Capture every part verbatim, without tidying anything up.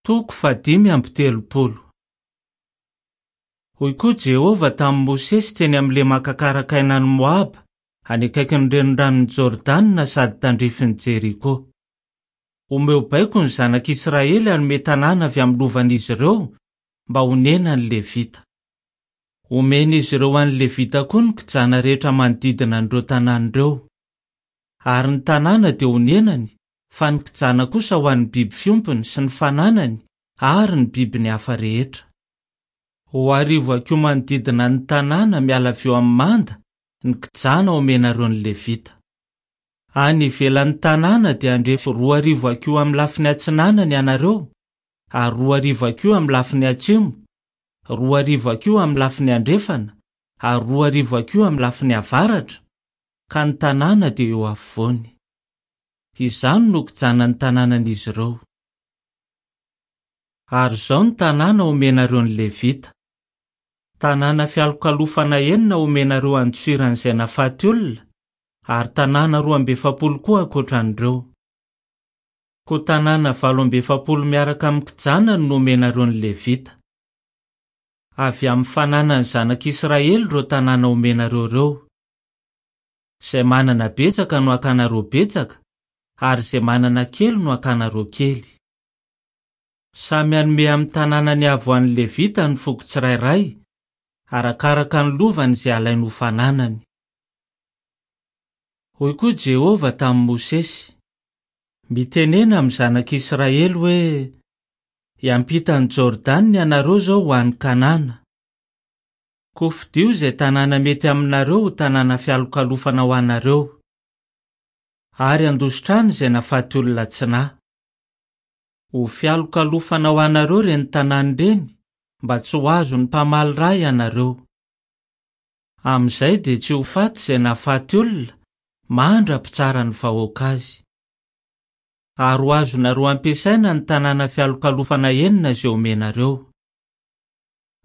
Toko fahadimy amby telopolo. Hoy koa Jehovah tamin'i Mosesy teny amin'ny lemaka karakainan'i Moaba, any akaikin'ny reniranon'i Jordana sady tandrifin'i Jeriko. Omeo baiko ny zanak'Israely hanome tanàna avy amin'ny lovan'izy ireo mba honenan'ny Levita. Omen'izy ireo an'ny Levita koa ny kijana rehetra manodidina an'ireo tanàna ireo. Ary ny tanàna dia honenany, fa ny kijana kosa ho an'ny biby fiompiny sy ny fananany ary ny bibiny hafa rehetra. Ho arivo hakiho manodidina ny tanàna miala avy eo amin'ny manda ny kijana omenareo ny Levita. Any ivelan'ny tanàna dia handrefy roa arivo hakiho amin'ny lafiny atsinanana ianareo, ary roa arivo hakiho amin'ny lafiny atsimo, roa arivo hakiho amin'ny lafiny andrefana, ary roa arivo hakiho amin'ny lafiny avaratra, ka ny tanàna dia eo afovoany. Izany no kijanan'ny tanànan'izy ireo. Ary izao ny tanàna omenareo ny Levita. Tanàna fialokalofana enina omenareo andosiran'izay nafaty olona, ary tanàna roa amby efapolo koa ankoatran'ireo. Koa tanàna valo amby efapolo miaraka amin'ny kijanany no omenareo ny Levita. Avy amin'ny fananan'ny zanak'Israely ireo tanàna omenareo ireo. Izay manana betsaka no hakanareo betsaka, ary izay manana kely no hakanareo kely. Samy hanome amin'ny tanànany avy ho an'ny Levita ny foko tsirairay, arakaraka ny lovany izay alainy ho fananany. Hoy koa Jehovah tamin'i Mosesy: Mitenena amin'ny zanak'Israely hoe: Hiampita an'i Jordana ianareo izao ho any Kanana. Koa fidio izay tanàna mety aminareo ho tanàna fialokalofana ho anareo. Ary handositra any izay nafaty olona tsy nahy. Ho fialokalofana ho anareo ireny tanàna ireny, mba tsy ho azon'ny mpamaly ra ianareo. Amin'izay dia tsy ho faty izay nafaty olona, mandra-pitsara ny vahoaka azy. Ary ho azonareo ampiasaina ny tanàna fialokalofana enina izay omenareo.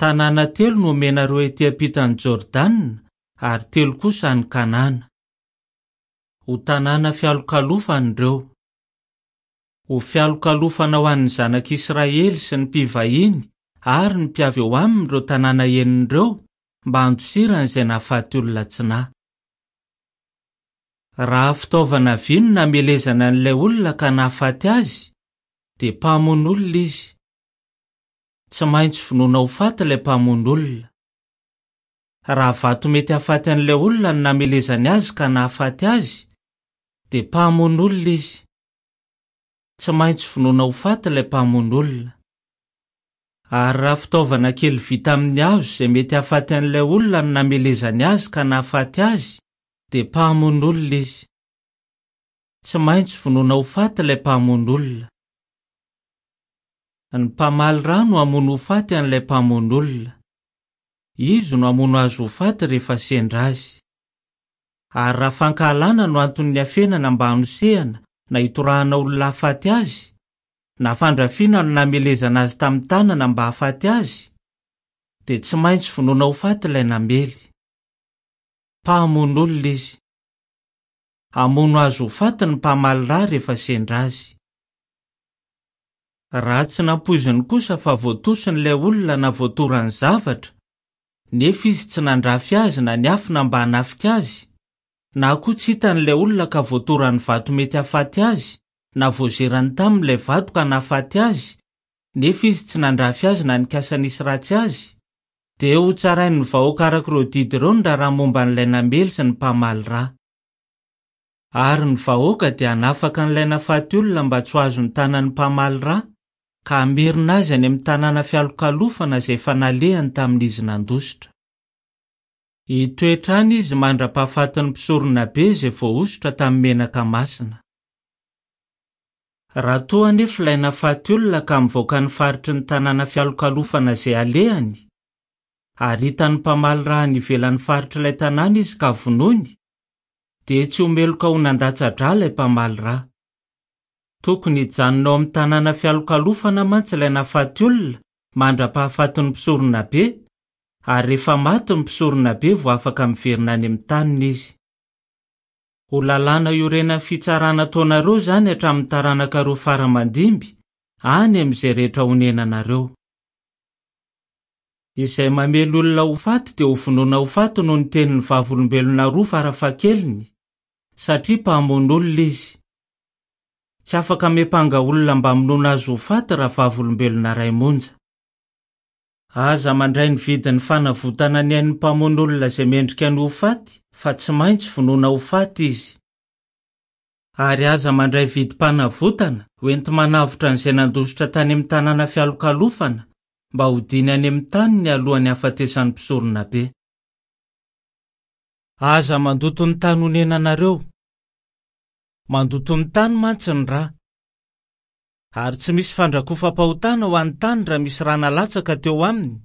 Tanàna telo no omenareo ety ampitan'i Jordana, ary telo kosa any Kanana. Ho tanàna fialokalofana ireo. Ho fialokalofana ho an'ny zanak'Israely sy ny mpivahiny ary ny mpiavy eo aminy ireo tanàna enina ireo mba handosirany izay nahafaty olona tsy nahy. Raha fitaovana vy no namelezana an'ilay olona ka nahafaty azy, dia mpamono olona izy. Tsy maintsy vonoina ho faty ilay mpamono olona. Raha vato mety hahafaty an'ilay olona no namelezany azy ka nahafaty azy, dia mpamono olona izy. Tsy maintsy vonoina ho faty ilay mpamono olona. Ary raha fitaovana kely vita amin'ny hazo izay mety hahafaty an'ilay olona no namelezany azy ka nahafaty azy, dia mpamono olona izy. Tsy maintsy vonoina ho faty ilay mpamono olona. Ny mpamaly ra no hamono ho faty an'ilay mpamono olona. Izy no hamono azy ho faty rehefa sendra azy. Ary raha fankahalana no anton'ny hafenana mba hanosehana na hitorahana olona hahafaty azy, na fandrafiana no namelezana azy tamin'ny tanana mba hahafaty azy, dia tsy maintsy vonoina ho faty ilay namely. Mpamono olona izy. Hamono azy ho faty ny mpamaly ra rehefa sendra azy. Raha tsy nampoiziny kosa fa voatosin'ilay olona na voatorany zavatra, nefa izy tsy nandrafy azy na niafina mba hanafika azy, na koa tsy hitan'ilay olona ka voatorany vato mety hahafaty azy, na voazerany tamin'ilay vato ka nahafaty azy, nefa izy tsy nandrafy azy na nikasa nisy ratsy azy, dia ho tsarain'ny vahoaka araka ireo didy ireo ny raharaha momba an'ilay namely sy ny mpamaly ra. Ary ny vahoaka dia hanafaka an'ilay nafaty olona mba tsy ho azon'ny tanan'ny mpamaly ra, ka hamerina azy any amin'ny tanàna fialokalofana izay efa nalehany tamin'izy nandositra. Hitoetra any izy mandra-pahafatin'ny mpisoronabe izay voahosotra tamin'ny menaka masina. Raha toa anefa ilay nafaty olona ka mivoaka ny faritry ny tanàna fialokalofana izay alehany, ary hitan'ny mpamaly ra any ivelan'ny faritr'ilay tanàna izy ka vonoiny, dia tsy ho meloka ho nandatsa-drà ilay mpamaly ra. Tokony hijanona ao amin'ny tanàna fialokalofana mantsy ilay nafaty olona mandra-pahafatin'ny mpisoronabe, ary rehefa maty ny mpisoronabe vao afaka miverina any amin'ny taniny izy. Ho lalàna iorenan'ny fitsarana ataonareo izany hatramin'ny taranakareo fara mandimby, any amin'izay rehetra honenanareo. Izay mamely olona ho faty dia hovonoina ho faty noho ny tenin'ny vavolombelona roa farafahakeliny, satria mpamono olona izy. Tsy afaka miampanga olona mba hamonoana azy ho faty raha vavolombelona iray monja. Aza mandray ny vidin'ny fanavotana ny ain'ny mpamono olona izay mendrika ny ho faty, fa tsy maintsy vonoina ho faty izy. Ary aza mandray vidim-panavotana hoenti-manavotra an'izay nandositra tany amin'ny tanàna fialokalofana mba hodiany any amin'ny taniny alohan'ny hahafatesan'ny mpisoronabe. Aza mandoto ny tany honenanareo. Mandoto ny tany mantsy ny rà. Ary tsy misy fandrakofam-pahotana ho an'ny tany raha misy rà nalatsaka teo aminy,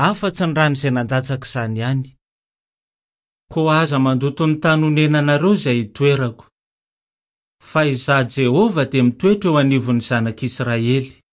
afa-tsy ny ràn'izay nandatsaka izany ihany. Koa aza mandoto ny tany honenanareo izay itoerako. Fa izaho Jehovah dia mitoetra eo anivon'ny zanak'Israely.